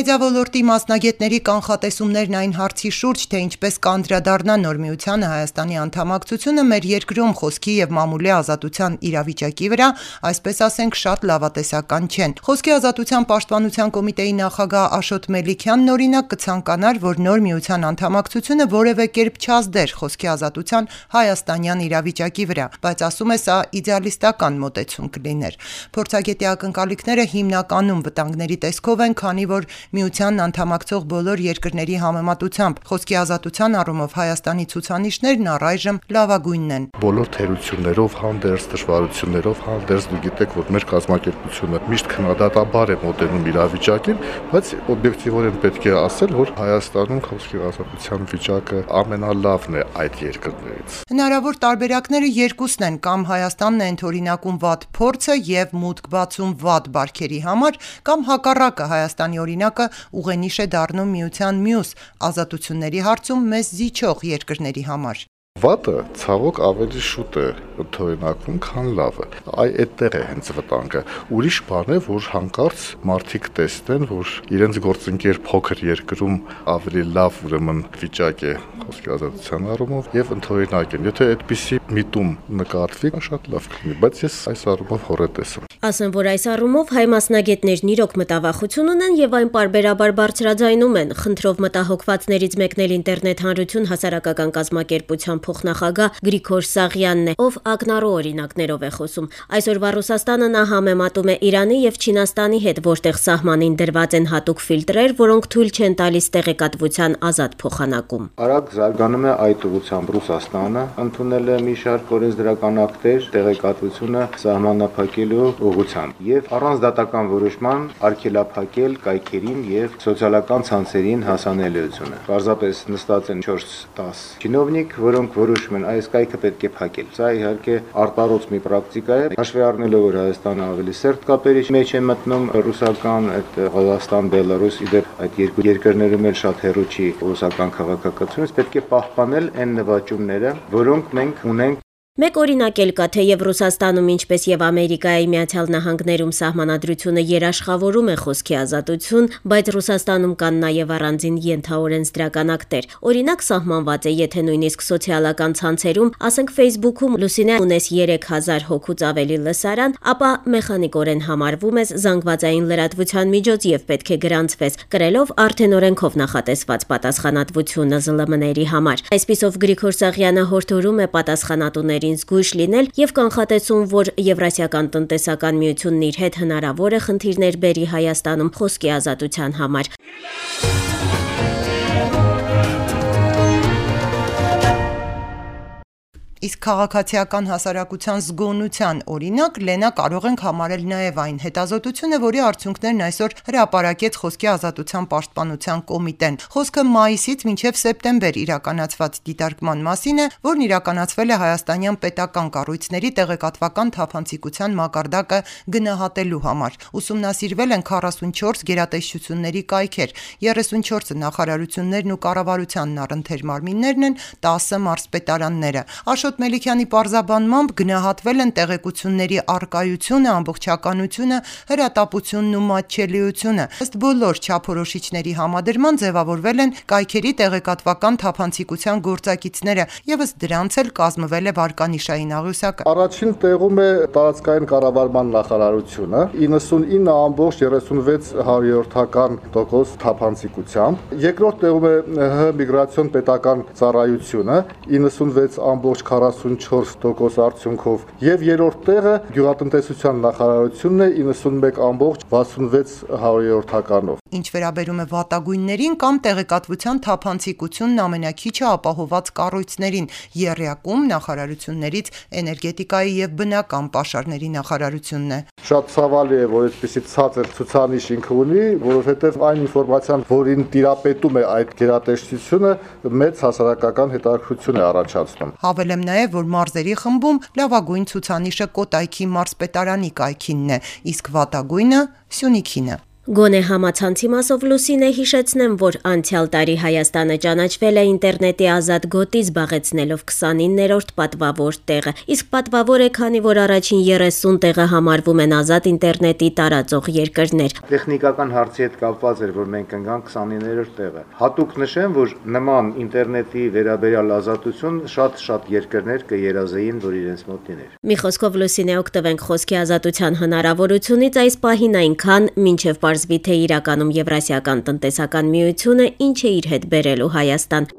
Մեդիավոլորտի մասնագետների կանխատեսումներն այն հարցի շուրջ, թե ինչպես կանդրադառնա նոր միությանը Հայաստանի անդամակցությունը մեր երկրում խոսքի եւ մամուլի ազատության իրավիճակի վրա, այսպես ասենք, շատ լավատեսական չեն։ Խոսքի ազատության պաշտպանության կոմիտեի նախագահ Աշոտ Մելիքյանն օրինակ կցանկանար, որ նոր միության անդամակցությունը որևէ կերպ չազդեր խոսքի ազատության հայաստանյան իրավիճակի վրա, բայց ասում է սա իդեալիստական մոտեցում կլիներ։ Փորձագետի ակնկալիքները հիմնականում վտանգների տեսքով են, քանի որ միությանն անդամակցող բոլոր երկրների համեմատությամբ խոսքի ազատության առումով Հայաստանի ցուցանիշներն առայժմ լավագույնն են։ Բոլոր թերություններով հանդերձ, դժվարություններով հանդերձ դու գիտեք, որ մեր կազմակերպությունը միշտ քննադատաբար է մոտենում իրավիճակին, բայց օբյեկտիվորեն պետք է ասել, որ Հայաստանում խոսքի ազատության վիճակը ամենալավն է այդ երկրներից։ Հնարավոր տարբերակները երկուսն են, կամ Հայաստանն է ընդօրինակում վատ փորձը եւ մուտք բացում վատ բարքերի համար, կամ հակառակը Հայաստանի օրինակը ուղենիշ է դառնում միության մյուս ազատությունների հարցում մեզ զիջող երկրների համար։ Վատը ցավոք ավելի շուտ է ընդօրինակվում, քան լավը։ Այդտեղ է հենց վտանգը։ Ուրիշ բան է, որ հանկարծ մարդիկ տեսնեն, որ իրենց գործընկեր փոքր երկրում ավելի լավ ուրեմն վիճակ է խոսքի ազատության առումով եւ ընդօրինակ են։ Եթե այդպիսի միտում նկատվի, շատ լավ կլինի, բայց ես այս առումով հորետես եմ։ Ասեմ, որ այս առումով հայ մասնագետներն իրոք մտավախություն ունեն եւ այն պարբերաբար բարձրաձայնում են։ Խնդրով մտահոգվածներից մեկն էլ ինտերնետ հանրություն հասարակական կազմակերպության փոխնախագահ Գրիգոր Սաղյանն է, ով ակնառու օրինակներով է խոսում։ Այսօրվա Ռուսաստանը նա համեմատում է Իրանի եւ Չինաստանի հետ, որտեղ սահմանին դրված են հատուկ ֆիլտրեր, որոնք թույլ չեն տալիս տեղեկատվության ազատ փոխանակում։ Արագ զարգանում է այդ ուղղությամբ Ռուսաստանը, ընդունել է մի շարք օրենսդրական ակտեր տեղեկատվությունը սահմանափակելու ուղղությամբ եւ առանց դատական որոշման արգելափակել կայքերին եւ սոցիալական ցանցերին հասանելիությունը։ Պարզապես նստած են 4-10 чиновник, որոնք որոշում են այս կայքը պետք է փակել։ Սա իհարկե արտարոց մի պրակտիկա է, հաշվի առնելով որ Հայաստանը ավելի սերտ կապերի մեջ է մտնում ռուսական, այդ Ղազախստան, Բելարուս, իդեպ այդ երկու երկրներում էլ շատ հեռու չի ռուսական քաղաքականությունից, պետք է պահպանել այն նվաճումները, որոնք մենք ունենք։ Մեկ օրինակ էլ կա, թեև Ռուսաստանում, ինչպես եւ Ամերիկայի Միացյալ Նահանգներում սահմանադրությունը երաշխավորում է խոսքի ազատություն, բայց Ռուսաստանում կան նաեւ առանձին ենթաօրենսդրական ակտեր։ Օրինակ սահմանված է, եթե նույնիսկ սոցիալական ցանցերում, ասենք Facebook-ում լուսինե ունես 3000 հոգուց ավելի լսարան, ապա մեխանիկորեն համարվում ես զանգվածային լրատվության միջոց եւ պետք է գրանցվես, կրելով արդեն օրենքով նախատեսված պատասխանատվությունը ԶԼՄ-ների համար։ Այսպիսով Գրիգոր Սաղյանը հորդորում է պատասխանատուների զգույշ լինել եւ կանխատեսում, որ Եվրասիական տնտեսական միությունն իր հետ հնարավոր է խնդիրներ բերի Հայաստանում խոսքի ազատության համար։ Իսկ քաղաքացիական հասարակության զգոնության օրինակ Լենա կարող ենք համարել նաև այն հետազոտությունը, որի արդյունքներն այսօր հրապարակեց խոսքի ազատության պաշտպանության կոմիտեն։ Խոսքը մայիսից մինչև սեպտեմբեր իրականացված դիտարկման մասին է, որն իրականացվել է հայաստանյան պետական կառույցների տեղեկատվական թափանցիկության մակարդակը գնահատելու համար։ Ուսումնասիրվել են 44 գերատեսչությունների կայքեր, 34 նախարարություններն ու կառավարությանն առընթեր մարմիններն են, 10 մարզպետարանները։ Աշոտ Մելիքյանի պարզաբանմամբ գնահատվել են տեղեկությունների առկայությունը, ամբողջականությունը, հրատապությունն ու մատչելիությունը։ Ըստ բոլոր չափորոշիչների համադրման ձևավորվել են կայքերի տեղեկատվական թափանցիկության գործակիցները, եւ ըստ դրանց էլ կազմվել է վարկանիշային աղյուսակը։ Առաջին տեղում է տարածքային կառավարման նախարարությունը 99.36% թափանցիկությամբ, երկրորդ տեղում է ՀՀ միգրացիոն պետական ծառայությունը 96.44% արդյունքով եւ երրորդ տեղը գյուղատնտեսության նախարարությունն է 91.66%-ով։ Ինչ վերաբերում է վատագույններին կամ տեղեկատվության թափանցիկությունն ամենակիչը ապահոված կառույցներին, եռյակում նախարարություններից էներգետիկայի եւ բնական պաշարների նախարարությունն է։ Շատ ցավալի է, որ այդպիսի ցածր ցուցանիշ ինքը ունի, որովհետեւ այն ինֆորմացիան, որին տիրապետում է այդ գերատեսչությունը, մեծ հասարակական հետաքրքրություն է առաջացնում։ Հավելեմ նաև, որ մարզերի խմբում լավագույն ցուցանիշը Կոտայքի մարզպետարանի կայքինն է, իսկ վատագույնը Սյունիքինը։ Գոնե համացանցի մասով Լուսինե հիշեցնեմ, որ անցյալ տարի Հայաստանը ճանաչվել է ինտերնետի ազատ գոտի զբաղեցնելով 29-րդ պատվավոր տեղը, իսկ պատվավոր է, քանի որ առաջին 30 տեղը համարվում են ազատ ինտերնետի տարածող երկրներ։ Տեխնիկական հարցի հետ կապված էր, որ մենք ընկանք 29-րդ տեղը։ Հատուկ նշեմ, որ նման ինտերնետի վերաբերյալ ազատություն շատ երկրներ կերազեին, որ իրենց մոտ լիներ։ Մի խոսքով Լուսինե օգտվենք խոսքի ազատության հնարավորությունից այս պահին այնքան, մինչև պարզվի թե իրականում Եվրասիական տնտեսական միությունը ինչ է իր հետ բերելու Հայաստան։